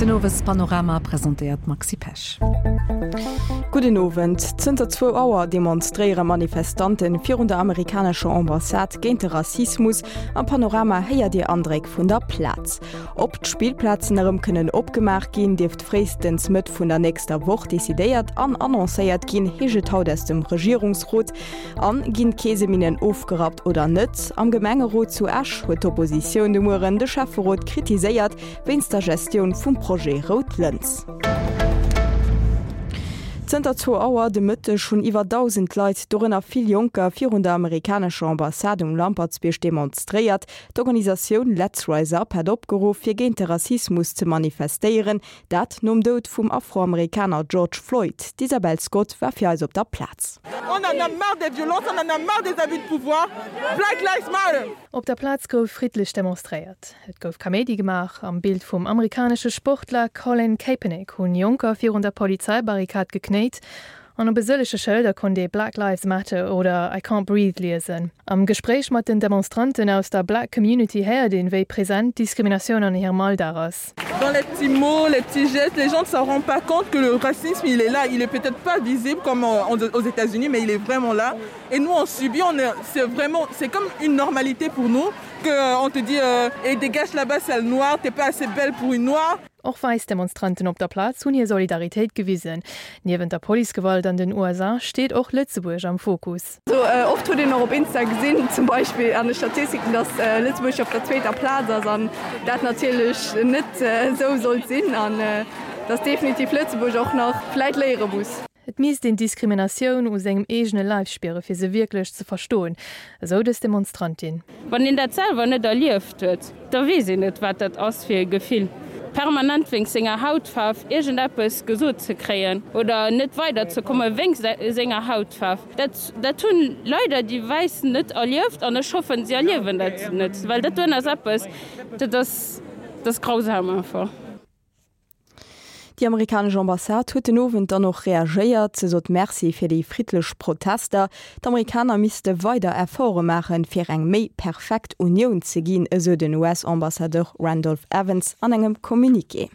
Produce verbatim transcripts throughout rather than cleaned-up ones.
Den Owespanorama presentéiert d'Maxi Pesch. Gudden Owend. Zënter zwou Auer demonstréiere Manifestante virun der amerikanescher Ambassade géint de Rassismus. Am Panorama héiert Dir Andréck vun der Plaz. Ob d'Spillplazen erëm kënnen opgemaach ginn, dierft fréistens Mëtt vun der nächster Woch decidéiert an annoncéiert ginn, heescht et haut aus dem Regierungsrot. An, Ginn d'Keeseminnen ofgerappt oder net? Am Gemengerot zu Esch huet d'Oppositioun de Mueren de Schäfferot kritiséiert wéinst der Gestioun vum Projet Rout Lëns. Zënter zwou Auer de Mëtteg hunn iwwer dausend Leit, dorënner vill Jonker, virun der amerikanescher Ambassade um Lampertsbierg demonstréiert. D'Organisatioun Let's Rise Up hat opgeruff, fir géint de Rassismus ze manifestéieren, dat nom Doud vum Afroamerikaner George Floyd. D'Isabel Scott war fir eis op der Plaz. On en a marre des violences, on en a marre des abus de pouvoir. Black Lives Matter! Op der Plaz gouf friddlech demonstréiert. Et gouf Kaméidi gemaach. Am Bild vum amerikanesche Sportler Colin Kaepernick hunn Jonker virun der Polizeibarrikad geknéit an op e sëllege Schëlder konnt ee Black Lives Matter oder I can't breathe liesen. Am Gespréich mat den Demonstranten aus der Black Community héiert een, wéi present d'Diskriminatioun an hirem Alldag ass. Dans les petits mots, les petits gestes, les gens ne s'en rendent pas compte que le racisme il est là, il est peut-être pas visible comme aux États-Unis, mais il est vraiment là. Et nous on subit, on est, c'est vraiment, c'est comme une normalité pour nous que on te dit euh, et dégage là-bas sale noire, t'es pas assez belle pour une noire. Och wäiss Demonstranten op der Plaz hunn hir Solidaritéit gewisen. Niewent der Policegewalt an den U S A steet och Lëtzebuerg am Fokus. Sou oft huet een och op Insta gesinn, zum Beispill an de Statistiken, dass Lëtzebuerg op der zweeter Plaz ass an dat natierlech net esou sollt sinn an dass definitiv Lëtzebuerg och nach vläit léiere muss. Et misst een d'Diskriminatioun u sengem eegene Leif spiere fir se wierklech ze verstoen, esou dës Demonstrantin. Wann een dat selwer net erlieft huet, da weess een net, wat dat ass fir e Gefill. Permanent wéinst senger Hautfaarf iergendeppes gesot ze kréien oder net weiderzekomme wéinst senger Hautfaarf, dat, dat hunn leider déi Wäiss net erlieft an ech hoffen, si erliewen dat net, well dat doen ass eppes, dat ass, dat ass grausam einfach. Déi amerikanesch Ambassade huet den Owend dann och reagéiert. Se sot Merci fir déi friddlech Protester. D'Amerikaner misste weider Efforte maachen, fir eng méi perfekt Unioun ze ginn, esou den U S-Ambassadeur Randolph Evans an engem Communiqué.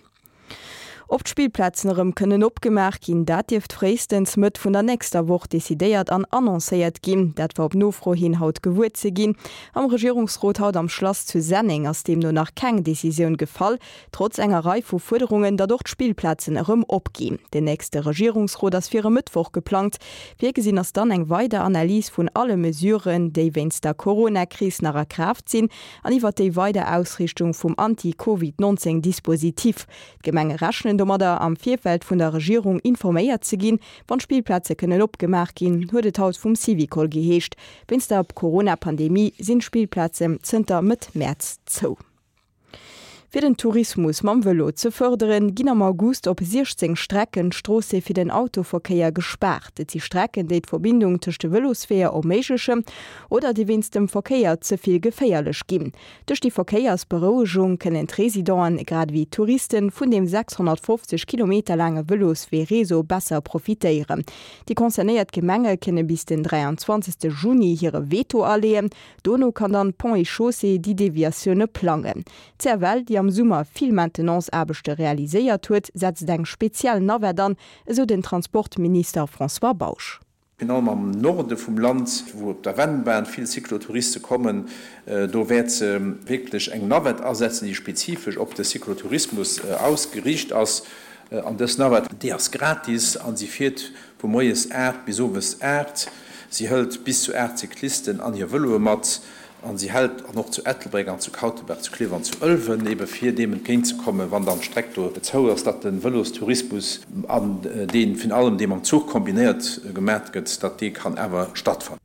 Ob d'Spillplazen erëm kënnen opgemaach ginn, dat dierft fréistens Mëtt vun der nächster Woch decidéiert an annoncéiert ginn. Dat war op Nofro hin haut gewuer ze ginn. Am Regierungsrot haut am Schlass zu Senneng ass deemno nach keng Decisioun gefall, trotz enger Rei vu Fuerderungen, datt och d'Spillplazen erëm opginn. Den nächste Regierungsrot ass fir e Mëttwoch geplangt. Virgesinn ass dann eng weider Analys vun alle Mesuren, déi wéinst der Corona-Kris nach a Kraaft sinn, an iwwer déi weider Ausrichtung vum Anti-Covid neunzehn Dispositif. D'Gemenge rechnen domadder am Virfeld vun der Regierung informéiert ze ginn, wann Spillplätze kënnen opgemaach ginn, huet et haut vum Syvicol geheescht. Wéinst der Corona-Pandemie sinn d'Spillplazen zënter Mëtt Mäerz zou. Fir den Tourismus mam Vëlo ze fërderen, ginn am August op siechzéng Strecken d'Stroosse fir den Autoverkéier gespaart. Et si Strecken, déi d'Verbindung tëscht de Vëlosweeër erméiglechen oder déi wéinst dem Verkéier ze vill geféierlech ginn. Duerch déi Verkéiersberouegung kënnen d'Residenten, grad ewéi d'Touristen, vun dem sechshonnertfofzeg Kilometer laange Vëloswee-Réseau besser profitéieren. Déi concernéiert Gemenge kënne bis den dräianzwanzegste Juni hire Veto aleeën. Dono kann dann Ponts et Chaussées déi Deviatioune plangen. D' C F L, déi am Summer vill Maintenance-Aarbechte realiséiert huet, setzt eng speziell Navette an, esou den Transportminister François Bausch. Virun allem am Norde vum Land, wou op der Vennbahn vill Cyclotouriste kommen, do wäert se wierklech eng Navette asetzen, déi spezifesch op de Cyclotourismus ausgeriicht ass. An dës Navette, déi ass gratis an si fiert vu moies aacht bis owes aacht. Si hëlt bis zu aacht Cyclisten an hir Vëloe mat. An si hält an och zu Ettelbréck an zu Kautebaach, zu Klierf an zu Ëlwen, ebe fir deem entgéintzekommen, wann dann d'Streck do zou ass, datt de Vëlostourismus an deen virun allem dee mam Zuch kombinéiert gemaach gëtt, datt dee kann awer stattfannen.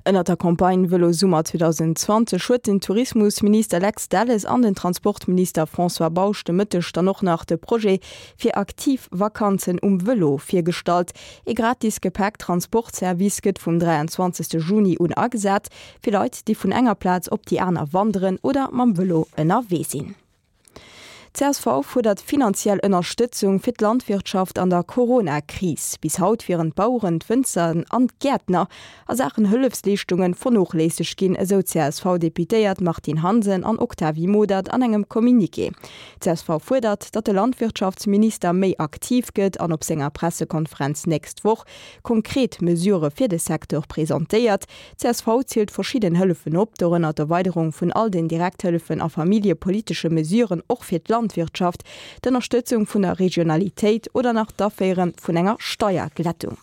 Ënnert der Campagne Vëlo Summer zweedausendzwanzeg huet den Tourismusminister Lex Delles an den Transportminister François Bausch de Mëtteg dann och nach de Projet fir aktiv Vakanzen um Vëlo virgestallt. E gratis Gepäcktransportservice gëtt vum dräianzwanzegste Juni un agesat, fir Leit, déi vun enger Plaz op déi aner wanderen oder mam Vëlo ënnerwee sinn. Csv fuerdert finanziell Ënnerstëtzung fir d'Landwirtschaft an der Corona-Kris. Bis haut wieren d'Baueren, d'Wënzer an d'Gäertner a Saachen Hëllefsleeschtungen vernoléissegt ginn, esou d'CSV-Deputéiert Martine Hansen an Octavie Modert an engem Communiqué. Csv fuerdert, datt de Landwirtschaftsminister méi aktiv gëtt an op senger Pressekonferenz nächst Woch konkret Mesurë fir de Secteur presentéiert. Csv zielt verschidden Hëllefen op, dorënner d'Erweiderung vun all den Direkthëllefen a familljepolitesche Mesuren och fir d'Landwirtschaft. Landwirtschaft, d'Ënnerstëtzung vun der Regionalitéit oder nach d'Aféiere vun enger Steierglättung.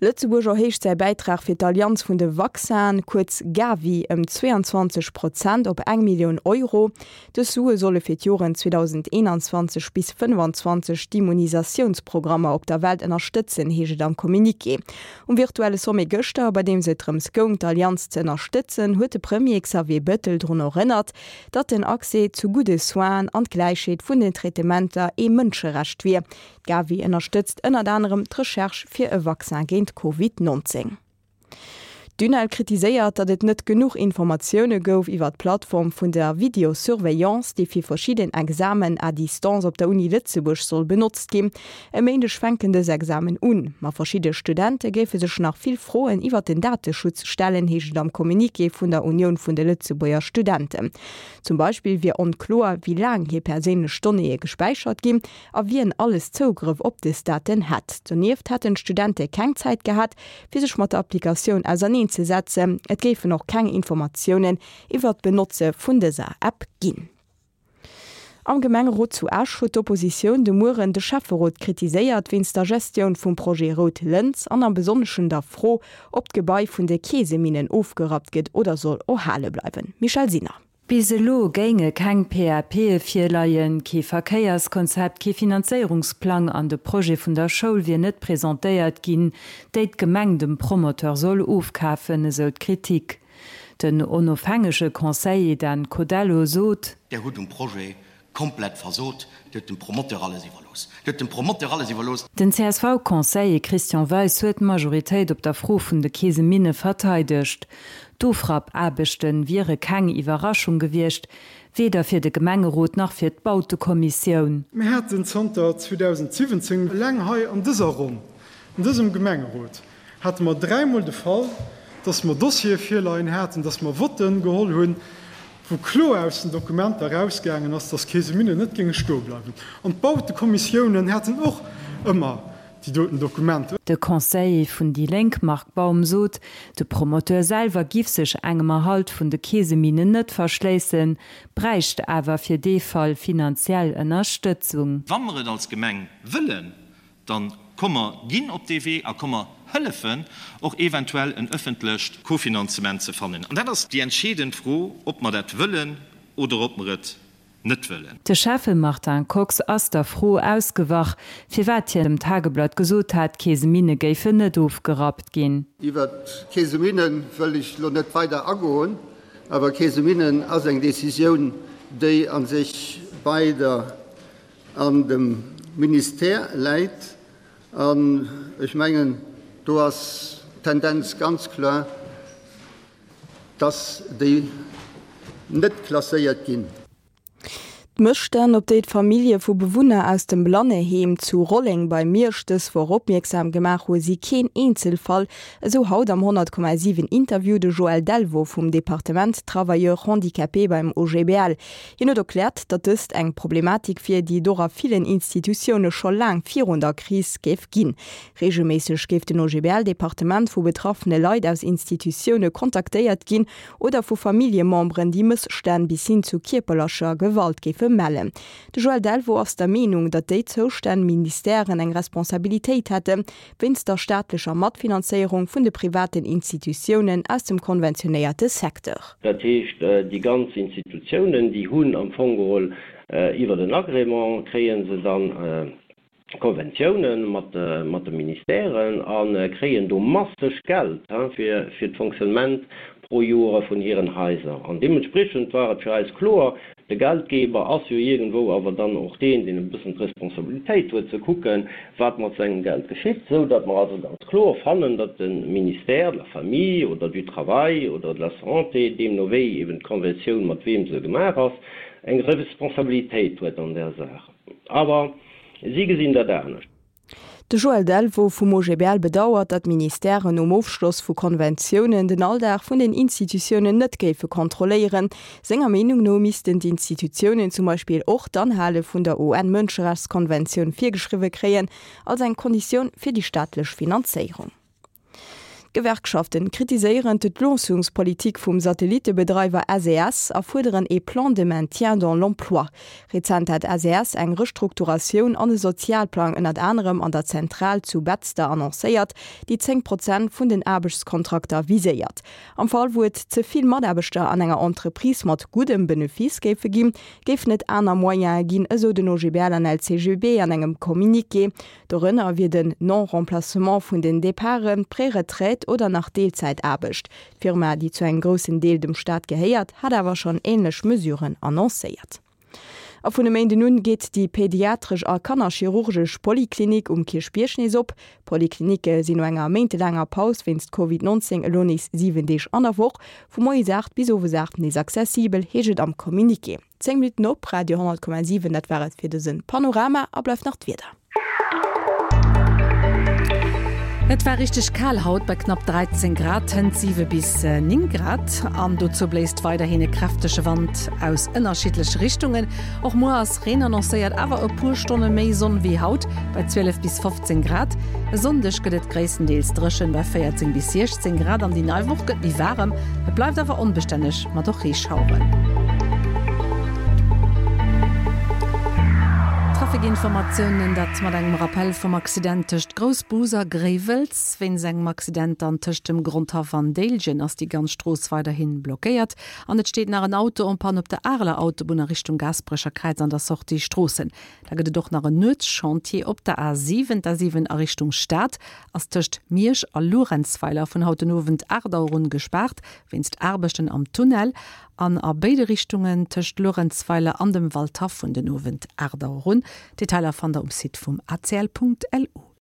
Lëtzebuerg erhéicht säi Bäitrag fir d'Allianz vun de Vaccinen, kuerz Gavi, ëm zweeanzwanzeg Prozent op eng Millioun Euro. Dës Sue solle fir d'Joren zweedausendeenanzwanzeg bis fënnfanzwanzeg d'Immunisatiounsprogrammer op der Welt ënnerstëtzen, heescht et am Communiqué. Um virtuelle Sommet gëschter, bei deem et drëms goung, d'Allianz ze ënnerstëtzen, huet de Premier Xavier Bettel drun erënnert, datt den Accès zu gudde Soinen an d'Gläichheet vun den Traitementer ee Mënscherecht wier. D'Gavi ënnerstëtzt ënnert anerem d'Recherche fir e Vaccin géint Covid nonzéng. D'UNEL kritiséiert, datt et net genuch Informatioune gouf iwwer d'Plattform vun der Videosurveillance, déi fir verschidden Examen à distance op der Uni Lëtzebuerg soll benotzt ginn. E Méindeg fänken dës Examen un, ma verschidde Studente géife sech nach vill Froen iwwer den Dateschutz stellen, heescht et am Communiqué vun der Unioun vun de Lëtzebuerger Studenten. Zum Beispill wier onkloer, wéi laang hir perséinlech Donnéeë gespäichert ginn a wien alles Zougrëff op dës Daten hätt. Donieft hätten d'Studente keng Zäit gehat, fir sech mat der Applikatioun auserneen ze setzen. Et géifen och keng Informatiounen iwwer d'Benotze vun dëser App ginn. Am Gemengerot zu Esch huet d'Oppositioun de Mueren de Schäfferot kritiséiert wéinst der Gestioun vum Projet Rout Lëns an am Besonneschen der Fro, ob d'Gebai vun de Keeseminnen ofgerappt gëtt oder soll erhale bleiwen. Michèle Sinner. Bis elo géinge keng PAPe virleien, kee Verkéierskonzept, kee Finanzéierungsplang an de Projet vun der Schoul wier net presentéiert ginn, déi d'Gemeng dem Promoteur soll ofkafen, esou d'Kritik. Den onofhängege Conseiller Dan Codello sot. Där hutt um Projet komplett versot, Dir hutt dem Promoteur alles iwwerlooss. Dir hutt dem Promoteur alles iwwerlooss. Den C S V-Conseiller Christian Weis huet d'Majoritéit op der Fro vun de Keeseminne verteidegt. D'Ofrappaarbechte wiere keng Iwwerraschung gewiescht, weder fir de Gemengerot nach fir d'Bautekommissioun. Mir haten zanter zweedausendsiwwenzéng eleng hei an dëser Ronn, an dësem Gemengerot, hate mer dräimol de Fall, dass mer Dossiere virleien haten, dass mer Votten geholl hunn, wou kloer aus den Dokumenter erausgaangen ass, dass d'Keeseminne net géinge stoe bleiwen. An d'Bautekommissiounen haten och ëmmer déi doten Dokumenter. De Conseiller vun déi Lénk Marc Baum sot, de Promoteur selwer giff sech engem Erhalt vun de Keeseminnen net verschléissen, bräicht awer fir dee Fall finanziell Ënnerstëtzung. Wa mer et als Gemeng wëllen, da komm mer ginn op dee Wee a komm mer hëllefen och eventuell en ëffentlecht Kofinanzement ze fannen. An dat ass déi entscheedend Fro, ob mer dat wëllen oder ob mer et net wëllen. De Schäffe Martin Kox ass der Fro ausgewach, firwat hien dem Tageblatt gesot hat, d'Keeseminne géifen net ofgerappt ginn. Iwwert d'Keeseminne wëll ech elo net weider agoen, awer Keeseminnen ass eng Décisioun, déi a sech bei der an dem Ministère läit. An ech mengen, do ass d'Tendenz ganz kloer, dass déi net klasséiert ginn. D'Mësstänn, op déi d'Famillje vu Bewunner aus dem Blanneheem zu Rolleng bei Miersch dës Woch opmierksam gemaach hu si keen Eenzelfall, esou haut am honnert Komma siwen Interview de Joël Delvaux vum Departement Travailleurs handicapés beim O G B L. Hien huet erkläert, datt dëst eng Problematik wier, déi et och a villen Institutioune scho laang virun der Kris géif ginn. Reegelméisseg géif den O G B L-Departement vu betraffene Leit aus Institutioune kontaktéiert ginn oder vu Familljememberen, déi Mësstänn bis hin zu kierperlecher Gewalt géife mellen. De Joël Delvaux ass der Meenung, datt déi zoustänneg Ministèren eng Responsabilitéit hätte wéinst der staatlecher Matfinanzéierung vun de privaten Institutiounen aus dem konventionéierte Secteur. Dat heescht, déi ganz Institutiounen, déi hunn am Fong geholl iwwer den Agrément kréie se dann Konventiounen mat mat de Ministèren a kréien do masseg Geld fir fir d'Fonctionnement pro Joer vun hiren Haiser. An deementspriechend war et fir eis kloer, de Geldgeber ass jo iergendwou awer dann och deen, deen e bëssen d'Responsabilitéit huet ze kucken, wat mat sengem Geld geschitt, esou datt mer also ganz kloer fannen, datt de Ministère de la Famille oder du Travail oder de la Santé, deemno wéi eben d'Konventioun mat weem se gemaach ass, eng Responsabilitéit huet an där Saach. Awer si gesinn dat anescht. De Joël Delvaux vum OGBL bedauert, datt d'Ministèren nom Ofschloss vu Konventiounen den Alldag vun den Institutiounen net géife kontrolléieren. Senger Meenung no missten d'Institutiounen zum Beispill och d'Anhale vun der UN-Mënscherechtskonventioun virgeschriwwe kréien, als eng Konditioun fir déi staatlech Finanzéierung. D'Gewerkschaften kritiséieren d'Entloossungspolitik vum Satellittebedreiwer SES a fuerderen ee Plan de maintien dans l'emploi. Rezent hat SES eng Restrukturatioun an e Sozialplang ënnert anerem an der Zentral zu Betzder annoncéiert, déi zéng Prozent vun den Aarbechtskontrakter viséiert. Am Fall wou et ze vill Mataarbechter an enger Entreprise mat guddem Benefice géife ginn, géifen et aner Moyene ginn, esou den OGBL an LCGB an engem Communiqué. Dorënner wier den Non-Remplacement vun den Departen, Preretraite oder nach Deelzäitaarbecht. D'Firma, déi zu engem groussen Deel dem Staat gehéiert, hat awer schonn änlech Mesuren annoncéiert. A vun e Méinden un geet déi pediatresch a kannerchirurgesch Poliklinik um Kierchbierg nees op. D'Poliklinicke sinn no enger méintelaanger Paus wéinst Covid neunzéng elo nees siwen Deeg an der Woch vu moies aacht bis owes aacht nees accessibel, heescht et am Communiqué. Zéng Minutten op Radio honnert Komma siwen, dat war et fir dëse Panorama a bleift nach d'Wieder. Et war richteg kal haut bei knapp dräizéng Grad, tënt siwe bis néng Grad. An dozou bléist weiderhin e kräftege Wand aus ënnerschiddleche Richtungen. Och muer ass Reen annoncéiert, awer e puer Stonne méi Sonn wéi haut bei zwielef bis fofzéng Grad. E Sonndeg gëtt et gréisstendeels dréchen bei véierzéng bis siechzéng Grad an déi nei Woch gëtt méi waarem, et bleift awer onbestänneg mat och Reeschaueren. Trafikinformatiounen, dat mat engem Rappell vum Accident tëscht Groussbus a Gréiwels. Wéinst engem Accident dann tëscht dem Grondhaff an Déiljen ass déi ganz Strooss weiderhi blockéiert. An et steet nach en Auto en panne op der Areler Autobunn a Richtung Gaasperecher Kräiz an der Sortie Stroossen. Da gëtt et och nach en Nuetschantier op der A siwen. D'A siwen a Richtung Stad ass tëscht Miersch a Luerenzweiler vun haut den Owend aacht Auer un gespaart wéinst Aarbechten am Tunnel. An a béide Richtungen tëscht Luerenzweiler an dem Waldhaff vun den Owend aacht Auer un. Detailer fannt der um Site vum A C L Punkt L U.